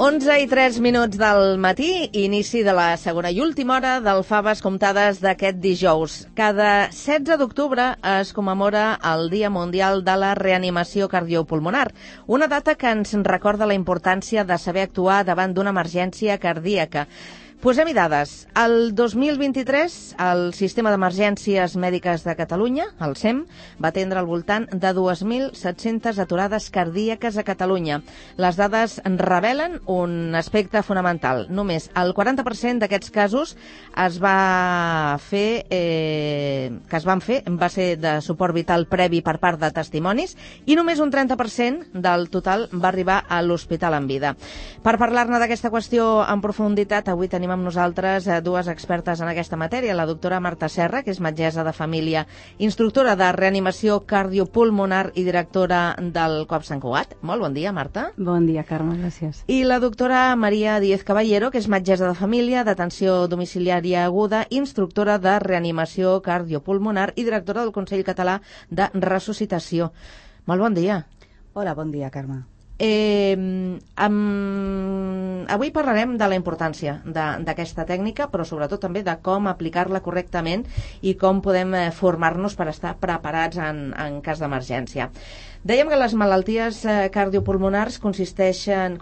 11:03 del matí, inici de la segona i última hora del Faves Comptades d'aquest dijous. Cada 16 d'octubre es commemora el Dia Mundial de la Reanimació Cardiopulmonar, una data que ens recorda la importància de saber actuar davant d'una emergència cardíaca. Posem-hi dades. El 2023, el Sistema d'Emergències Mèdiques de Catalunya, el SEM, va atendre al voltant de 2.700 aturades cardíaques a Catalunya. Les dades revelen un aspecte fonamental. Només el 40% d'aquests casos va ser de suport vital previ per part de testimonis i només un 30% del total va arribar a l'hospital en vida. Per parlar-ne d'aquesta qüestió en profunditat, avui tenim amb nosaltres dues expertes en aquesta matèria, la doctora Marta Serra, que és metgessa de família, instructora de reanimació cardiopulmonar i directora del COP Sant Cugat. Molt bon dia, Marta. Bon dia, Carme, gràcies. I la doctora Maria Díez Caballero, que és metgessa de família, d'atenció domiciliària aguda, instructora de reanimació cardiopulmonar i directora del Consell Català de Ressuscitació. Molt bon dia. Hola, bon dia, Carme. Avui parlarem de la importància d'aquesta tècnica, però sobretot també de com aplicar-la correctament i com podem formar-nos per estar preparats en cas d'emergència. Dèiem que les malalties cardiopulmonars constitueixen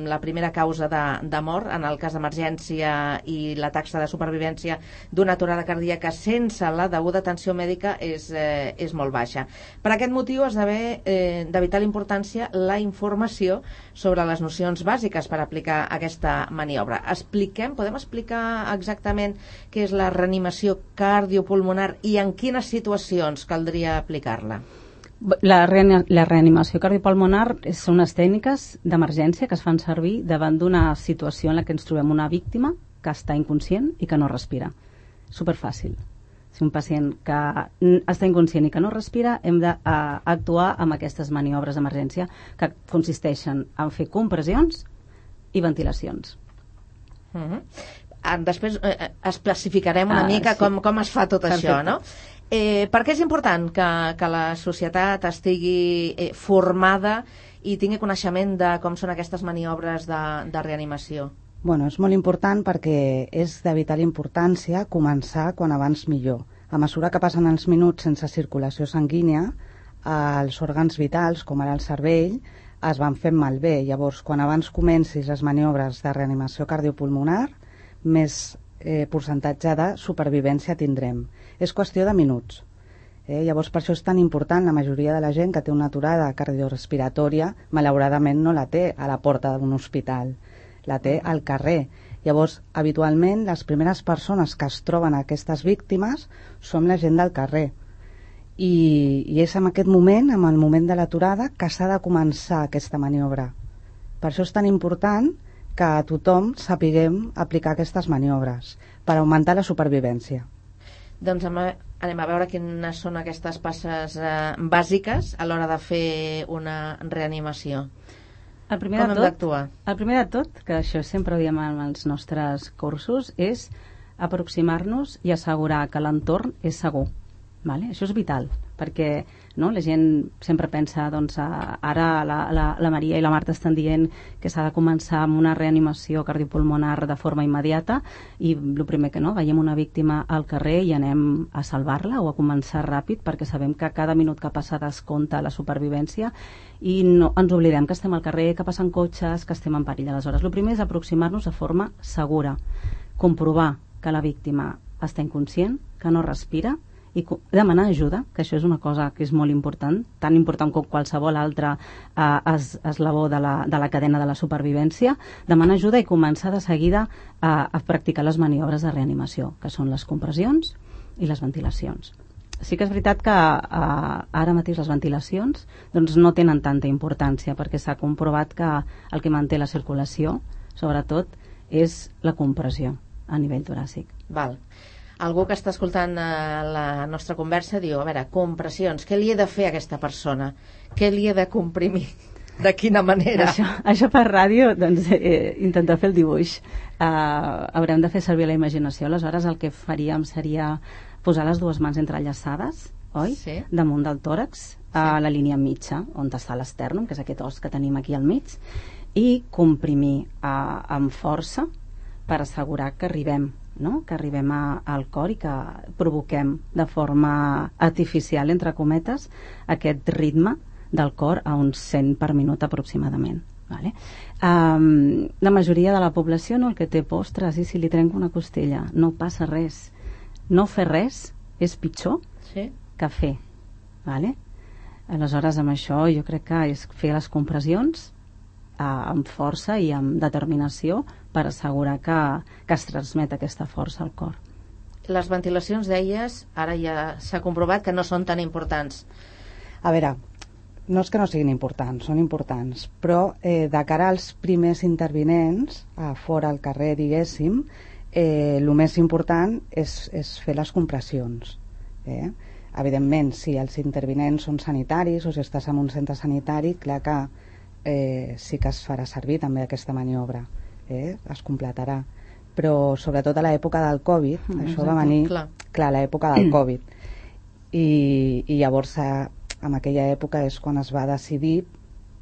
la primera causa de mort en el cas d'emergència, i la taxa de supervivència d'una aturada cardíaca sense la deguda atenció mèdica és molt baixa. Per aquest motiu esdevé de vital importància la informació sobre les nocions bàsiques per aplicar aquesta maniobra. Podem explicar exactament què és la reanimació cardiopulmonar i en quines situacions caldria aplicar-la? La reanimació cardiopulmonar són unes tècniques d'emergència que es fan servir davant d'una situació en la que ens trobem una víctima que està inconscient i que no respira. Superfàcil. Si un pacient que està inconscient i que no respira, hem d'actuar amb aquestes maniobres d'emergència que consisteixen en fer compressions i ventilacions. Després especificarem una mica com es fa tot això, no? Per què és important que la societat estigui formada i tingui coneixement de com són aquestes maniobres de reanimació? Bueno, és molt important perquè és de vital importància començar quan abans millor. A mesura que passen els minuts sense circulació sanguínia, els òrgans vitals, com ara el cervell, es van fent malbé. Llavors, quan abans comencis les maniobres de reanimació cardiopulmonar, més percentatge de supervivència tindrem. És qüestió de minuts. Llavors, per això és tan important. La majoria de la gent que té una aturada cardiorespiratòria, malauradament no la té a la porta d'un hospital, la té al carrer. Llavors, habitualment, les primeres persones que es troben aquestes víctimes són la gent del carrer. I és en aquest moment, en el moment de l'aturada, que s'ha de començar aquesta maniobra. Per això és tan important que tothom sapiguem aplicar aquestes maniobres per augmentar la supervivència. Doncs anem a veure quines són aquestes passes bàsiques a l'hora de fer una reanimació. Com hem d'actuar? El primer de tot, que això sempre ho diem en els nostres cursos, és aproximar-nos i assegurar que l'entorn és segur. Vale? Això és vital, perquè la gent sempre pensa, ara la Maria i la Marta estan dient que s'ha de començar amb una reanimació cardiopulmonar de forma immediata, i el primer que veiem una víctima al carrer i anem a salvar-la o a començar ràpid, perquè sabem que cada minut que passa descompta la supervivència i no ens oblidem que estem al carrer, que passen cotxes, que estem en perill. Aleshores, el primer és aproximar-nos de forma segura, comprovar que la víctima està inconscient, que no respira, i demanar ajuda, que això és una cosa que és molt important, tan important com qualsevol altre eslabó de la cadena de la supervivència. Demanar ajuda i començar de seguida a practicar les maniobres de reanimació, que són les compressions i les ventilacions. Sí que és veritat que ara mateix les ventilacions no tenen tanta importància, perquè s'ha comprovat que el que manté la circulació, sobretot, és la compressió a nivell toràcic. Val. Algú que està escoltant la nostra conversa diu, a veure, compressions, què li he de fer a aquesta persona? Què li he de comprimir? De quina manera? Això per ràdio, intentar fer el dibuix. Haurem de fer servir la imaginació. Aleshores, el que faríem seria posar les dues mans entrellaçades, oi? Sí. Damunt del tòrax, a la línia mitja, on està l'estèrnum, que és aquest os que tenim aquí al mig, i comprimir amb força per assegurar que arribem, no? Que arribem al cor i que provoquem de forma artificial, entre cometes, aquest ritme del cor a uns 100 per minut aproximadament. Vale? La majoria de la població, no, el que té por, ostres, i si li trenco una costella, no passa res. No fer res és pitjor que fer. Vale? Aleshores, amb això jo crec que és fer les compressions amb força i amb determinació per assegurar que es transmet aquesta força al cor. Les ventilacions, deies, ara ja s'ha comprovat que no són tan importants. A veure, no és que no siguin importants, són importants, però de cara als primers intervinents, fora al carrer, diguéssim, el més important és fer les compressions. Evidentment, si els intervinents són sanitaris o si estàs en un centre sanitari, clar que sí que es farà servir també aquesta maniobra, es completarà, però sobretot a l'època del Covid, això va venir, clar, a l'època del Covid, i llavors en aquella època és quan es va decidir,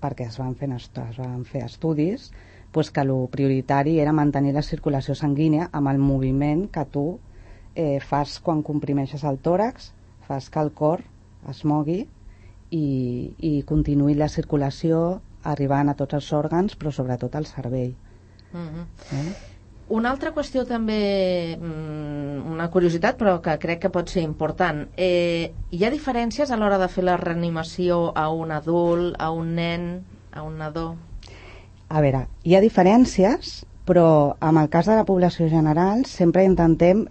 perquè es van fer estudis, pues que el prioritari era mantenir la circulació sanguínia amb el moviment que tu fas quan comprimeixes el tòrax, fas que el cor es mogui i continuï la circulació arribant a tots els òrgans, però sobretot al cervell. Una altra qüestió també, una curiositat, però que crec que pot ser important. Hi ha diferències a l'hora de fer la reanimació a un adult, a un nen, a un nadó? A veure, hi ha diferències, però en el cas de la població general sempre intentem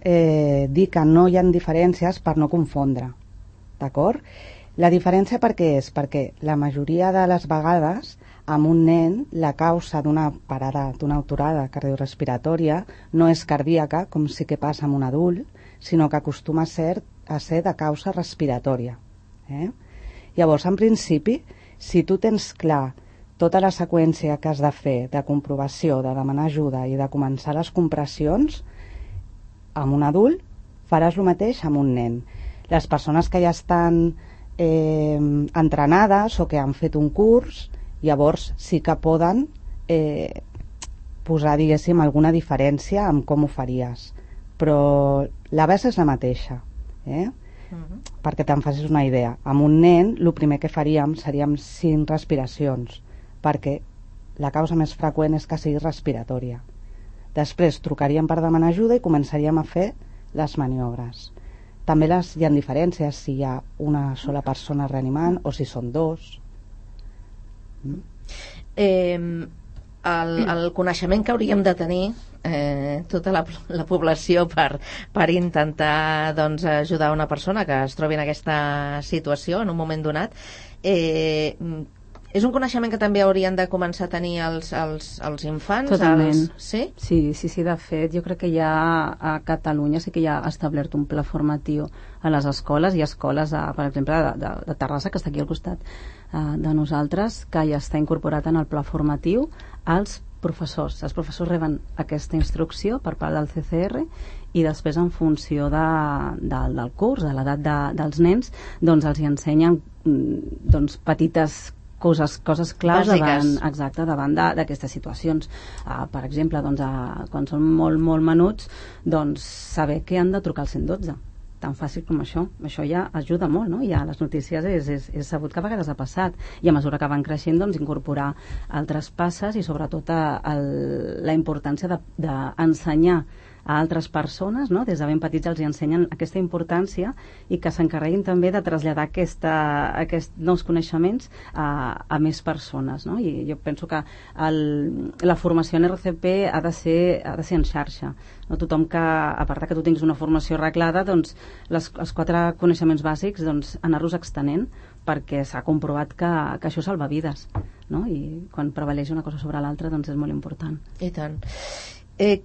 dir que no hi ha diferències per no confondre, d'acord? La diferència per què és? Perquè la majoria de les vegades amb un nen la causa d'una parada, d'una aturada cardiorrespiratòria no és cardíaca, com sí que passa amb un adult, sinó que acostuma a ser de causa respiratòria. Llavors, en principi, si tu tens clar tota la seqüència que has de fer de comprovació, de demanar ajuda i de començar les compressions, amb un adult faràs el mateix amb un nen. Les persones que ja estan entrenades o que han fet un curs, llavors sí que poden posar, diguéssim, alguna diferència en com ho faries, però la base és la mateixa, perquè te'n facis una idea. Amb un nen el primer que faríem seríem 5 respiracions, perquè la causa més freqüent és que sigui respiratòria. Després trucaríem per demanar ajuda i començaríem a fer les maniobres. També hi ha diferències si hi ha una sola persona reanimant o si són 2. El coneixement que hauríem de tenir tota la població per intentar, doncs, ajudar una persona que es trobi en aquesta situació en un moment donat, és un coneixement que també haurien de començar a tenir els infants? Totalment. Sí? Sí, de fet, jo crec que ja a Catalunya sí que ja ha establert un pla formatiu a les escoles. Hi ha escoles, per exemple, de Terrassa, que està aquí al costat de nosaltres, que ja està incorporat en el pla formatiu als professors. Els professors reben aquesta instrucció per part del CCR i després, en funció del curs, de l'edat dels nens, doncs els hi ensenyen petites coses claus davant d'aquestes situacions. Per exemple, doncs, quan són molt, molt menuts, doncs saber que han de trucar al 112. Tan fàcil com això. Això ja ajuda molt, no? Ja les notícies és sabut que a vegades ha passat. I a mesura que van creixent, doncs, incorporar altres passes i sobretot la importància d'ensenyar a altres persones, no? Des de ben petits els hi ensenyen aquesta importància i que s'encarreguin també de traslladar aquests nous coneixements a més persones, no? I jo penso que la formació en RCP ha de ser en xarxa, no? Tothom que, a part que tu tinguis una formació arreglada, doncs els 4 coneixements bàsics, doncs anar-los extenent, perquè s'ha comprovat que això salva vides, no? I quan prevaleix una cosa sobre l'altra, doncs és molt important. I tant.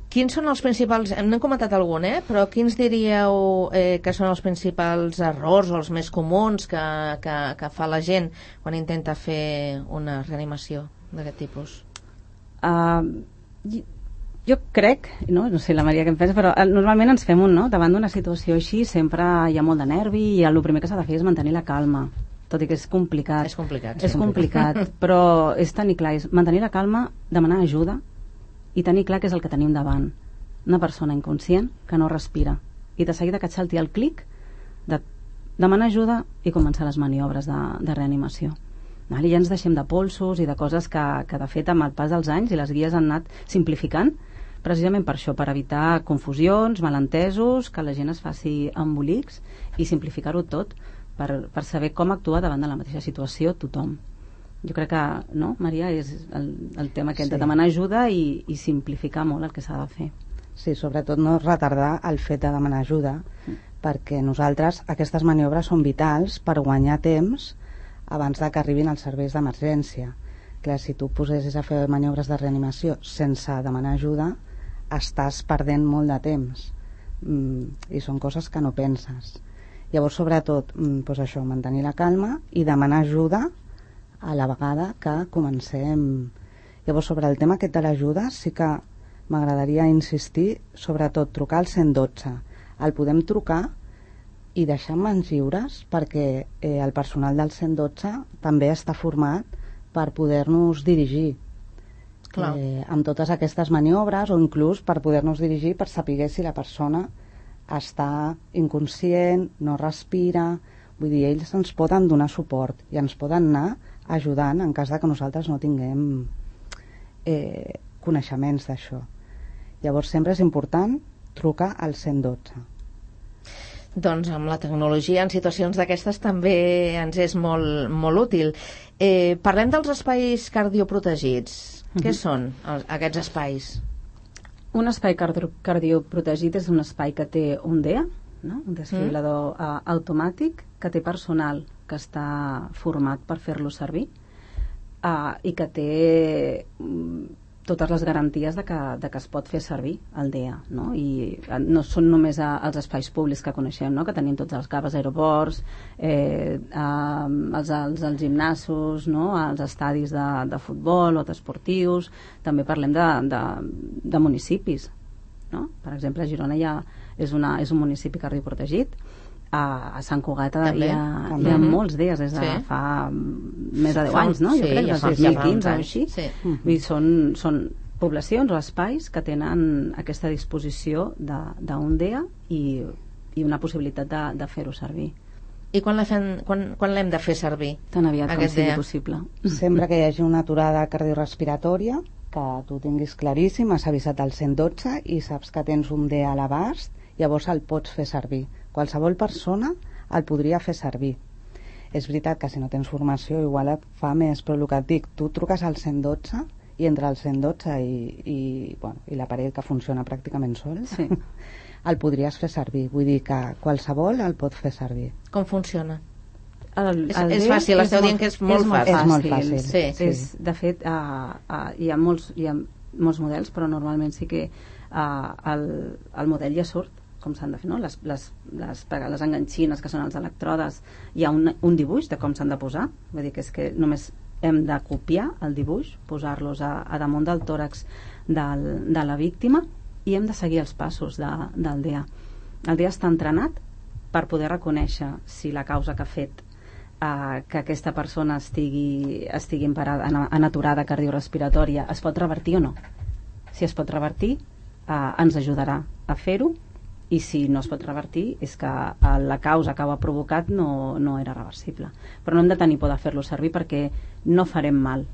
Quins són els principals, n'hem comentat algun, però quins diríeu que són els principals errors o els més comuns que fa la gent quan intenta fer una reanimació d'aquest tipus? Jo crec, no sé la Maria què en pensa, però normalment ens fem davant d'una situació així sempre hi ha molt de nervi i el primer que s'ha de fer és mantenir la calma, tot i que és complicat. És complicat, És complicat, però és tenir clar, és mantenir la calma, demanar ajuda i tenir clar què és el que tenim davant. Una persona inconscient que no respira. I de seguida que et salti el clic de demanar ajuda i començar les maniobres de reanimació. I ja ens deixem de polsos i de coses que de fet amb el pas dels anys i les guies han anat simplificant precisament per això, per evitar confusions, malentesos, que la gent es faci embolics i simplificar-ho tot per saber com actuar davant de la mateixa situació tothom. Jo crec que, no, Maria, és el tema aquest de demanar ajuda i simplificar molt el que s'ha de fer. Sí, sobretot no retardar el fet de demanar ajuda, perquè nosaltres aquestes maniobres són vitals per guanyar temps abans de que arribin els serveis d'emergència. Clar, si tu posessis a fer maniobres de reanimació sense demanar ajuda, estàs perdent molt de temps i són coses que no penses. Llavors, sobretot, doncs això, mantenir la calma i demanar ajuda a la vegada que comencem. Llavors, sobre el tema aquest de l'ajuda, sí que m'agradaria insistir, sobretot trucar al 112. El podem trucar i deixar mans lliures perquè el personal del 112 també està format per poder-nos dirigir amb totes aquestes maniobres, o inclús per poder-nos dirigir per saber si la persona està inconscient, no respira. Vull dir, ells ens poden donar suport i ens poden anar ajudant en cas de que nosaltres no tinguem coneixements d'això. Llavors sempre és important trucar al 112. Doncs amb la tecnologia en situacions d'aquestes també ens és molt, molt útil. Parlem dels espais cardioprotegits. Què són aquests espais? Un espai cardioprotegit és un espai que té un DEA, no? Un desfibrilador automàtic, que té personal que està format per fer-lo servir i que té totes les garanties de que es pot fer servir el DEA, no? I no són només els espais públics que coneixem, no? Que tenim tots els CAVs, aeroports, els gimnasos, no? Els estadis de futbol o d'esportius. També parlem de municipis, no? Per exemple, a Girona és un municipi cardioprotegit. A Sant Cugat hi ha molts dies des de fa més de 10 anys, no? Jo crec, des del 2015 o així. Són poblacions o espais que tenen aquesta disposició d'un DEA i una possibilitat de fer-ho servir. I quan l'hem de fer servir? Tan aviat com sigui possible. Sempre que hi hagi una aturada cardiorrespiratòria, que tu tinguis claríssim, has avisat al 112 i saps que tens un DEA a l'abast, llavors el pots fer servir. Qualsevol persona el podria fer servir. És veritat que si no tens formació igual et fa més, però el que et dic, tu truques al 112 i entre el 112 i l'aparell que funciona pràcticament sol, el podries fer servir. Vull dir que qualsevol el pot fer servir. Com funciona? És fàcil, esteu dient que és molt fàcil. És molt fàcil. De fet, hi ha molts models, però normalment sí que el model ja surt com s'han de fer, no? Les enganxines que són els electrodes, hi ha un dibuix de com s'han de posar, vull dir que és que només hem de copiar el dibuix, posar-los a damunt del tòrax de la víctima i hem de seguir els passos del DEA. El DEA està entrenat per poder reconèixer si la causa que ha fet que aquesta persona estigui en aturada cardiorrespiratòria es pot revertir o no. Si es pot revertir, ens ajudarà a fer-ho, i si no es pot revertir és que la causa que ho ha provocat no era reversible. Però no hem de tenir por de fer-lo servir perquè no farem mal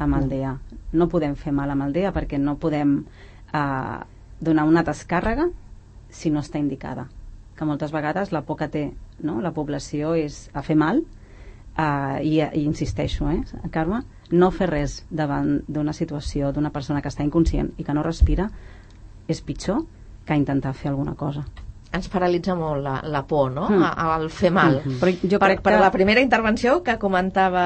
amb el DEA. No podem fer mal amb el DEA perquè no podem donar una descàrrega si no està indicada. Que moltes vegades la por que té, no? La població és a fer mal i insisteixo, Carme, no fer res davant d'una situació d'una persona que està inconscient i que no respira és pitjor que intentar fer alguna cosa. Ens paralitza molt la por, no? Al fer mal. Però jo crec per la primera intervenció que comentava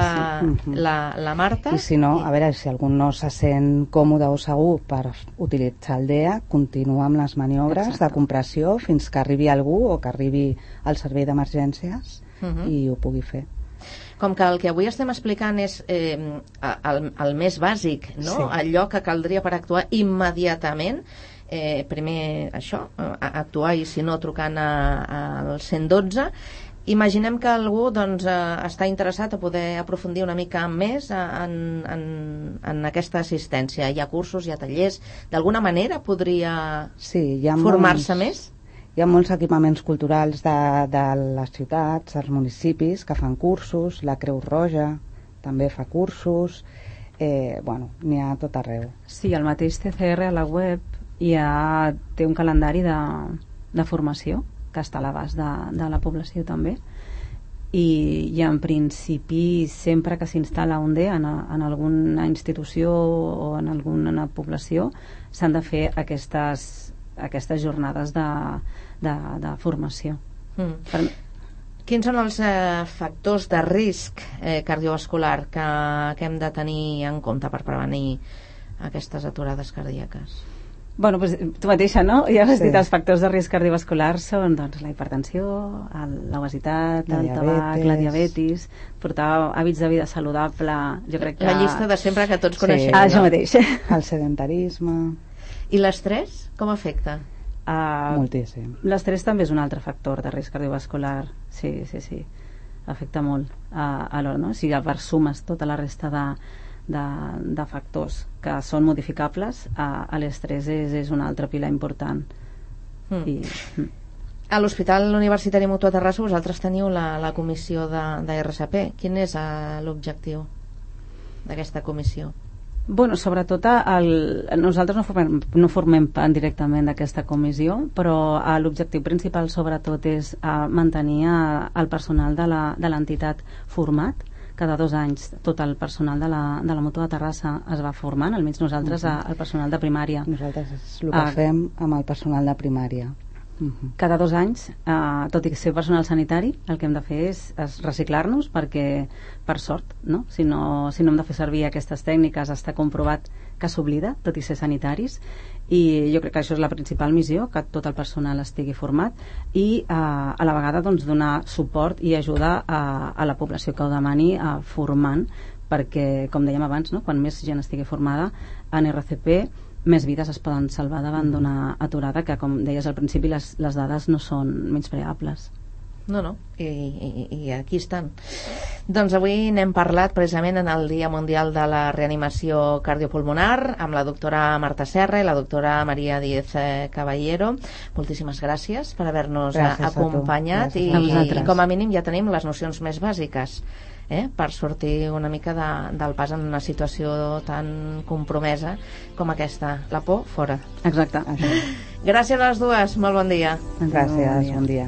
la Marta. I si no, a veure, si algú no se sent còmode o segur per utilitzar el DEA, continua amb les maniobres de compressió fins que arribi algú o que arribi al servei d'emergències i ho pugui fer. Com que el que avui estem explicant és el més bàsic, no? Allò que caldria per actuar immediatament, primer això, actuar i si no trucant al 112, Imaginem que algú doncs, està interessat a poder aprofundir una mica més en aquesta assistència. Hi ha cursos, hi ha tallers. D'alguna manera podria formar-se més? Hi ha molts equipaments culturals de les ciutats, dels municipis, que fan cursos. La Creu Roja també fa cursos. N'hi ha a tot arreu. Sí, el mateix CCR a la web té un calendari de formació que està a l'abast de la població també, i en principi sempre que s'instal·la un DEA en alguna institució o en alguna població s'han de fer aquestes jornades de formació. Quins són els factors de risc cardiovascular que hem de tenir en compte per prevenir aquestes aturades cardíaques? Bueno, pues, tu mateixa, no? Ja has dit, els factors de risc cardiovascular són doncs, la hipertensió, l'obesitat, el tabac, la diabetis, portar hàbits de vida saludable, jo crec que... La llista de sempre que tots coneixem. Això mateix. El sedentarisme... I l'estrès, com afecta? Moltíssim. L'estrès també és un altre factor de risc cardiovascular, sí. Afecta molt alhora, no? Si sumes tota la resta de factors que són modificables, l'estrès és un altre pilar important. A l'Hospital Universitari Mutua Terrassa vosaltres teniu la comissió de RCP. Quin és l'objectiu d'aquesta comissió? Bueno, sobretot nosaltres no formem part directament d'aquesta comissió, però l'objectiu principal sobretot és mantenir el personal de l'entitat format. Cada 2 anys tot el personal de la Mutua de Terrassa es va formant, almenys nosaltres el personal de primària. Nosaltres és el que fem amb el personal de primària. Cada 2 anys, tot i ser personal sanitari, el que hem de fer és reciclar-nos, perquè per sort, no? Si no hem de fer servir aquestes tècniques, està comprovat que s'oblida, tot i ser sanitaris, i jo crec que això és la principal missió, que tot el personal estigui format i a la vegada doncs, donar suport i ajuda a la població que ho demani formant, perquè com dèiem abans, no? Quan més gent estigui formada en RCP, més vides es poden salvar davant d'una aturada, que com deies al principi les dades no són menyspreables. No, i aquí estan. Doncs avui n'hem parlat precisament en el Dia Mundial de la Reanimació Cardiopulmonar amb la doctora Marta Serra i la doctora Maria Díez Caballero. Moltíssimes gràcies per haver-nos acompanyat i com a mínim ja tenim les nocions més bàsiques per sortir una mica del pas en una situació tan compromesa com aquesta. La por, fora. Exacte. Gràcies a les dues, molt bon dia. Gràcies, bon dia.